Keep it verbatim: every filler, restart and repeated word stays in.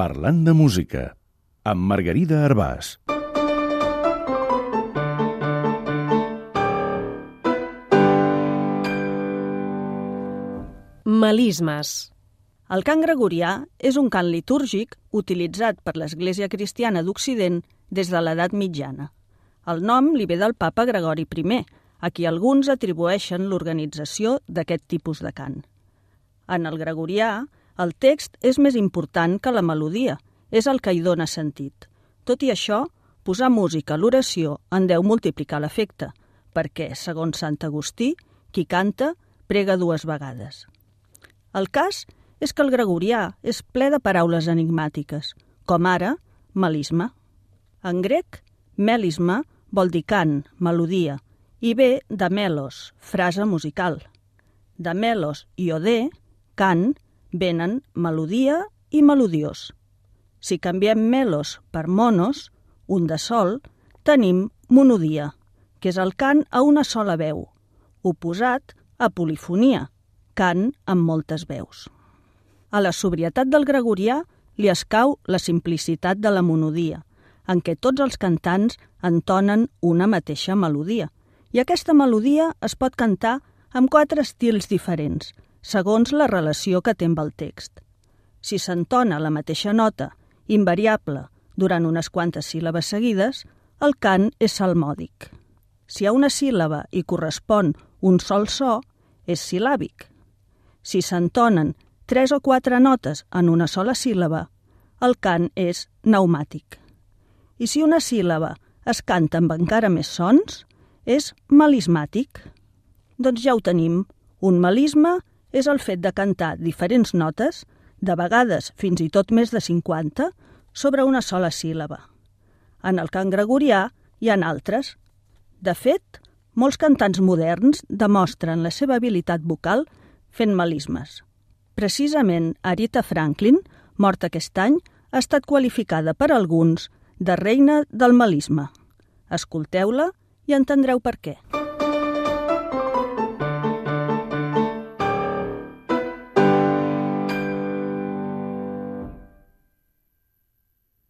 Parlant de música, amb Margarida Arbàs. Melismes. El cant gregorià és un cant litúrgic utilitzat per l'Església Cristiana d'Occident des de l'edat mitjana. El nom li ve del papa Gregori primer, a qui alguns atribueixen l'organització d'aquest tipus de cant. En el gregorià, el text és més important que la melodia, és el que hi dóna sentit. Tot i això, posar música a l'oració en deu multiplicar l'efecte, perquè, segons Sant Agustí, qui canta prega dues vegades. El cas és que el gregorià és ple de paraules enigmàtiques, com ara melisma. En grec, melisma vol dir cant, melodia, i ve de melos, frase musical. De melos i odé, cant, venen melodia i melodiós. Si canviem melos per monos, un de sol, tenim monodia, que és el cant a una sola veu, oposat a polifonia, cant amb moltes veus. A la sobrietat del gregorià li escau la simplicitat de la monodia, en què tots els cantants entonen una mateixa melodia, i aquesta melodia es pot cantar amb quatre estils diferents, segons la relació que té amb el text. Si s'entona la mateixa nota, invariable, durant unes quantes síl·labes seguides, el cant és salmòdic. Si a una síl·laba hi correspon un sol so, és sil·làbic. Si s'entonen tres o quatre notes en una sola síl·laba, el cant és pneumàtic. I si una síl·laba es canta amb encara més sons, és melismàtic. Doncs ja ho tenim. Un melisme és el fet de cantar diferents notes, de vegades fins i tot més de cinquanta, sobre una sola síl·laba. En el cant gregorià hi ha altres. De fet, molts cantants moderns demostren la seva habilitat vocal fent melismes. Precisament Aretha Franklin, morta aquest any, ha estat qualificada per alguns de reina del melisme. Escolteu-la i entendreu per què.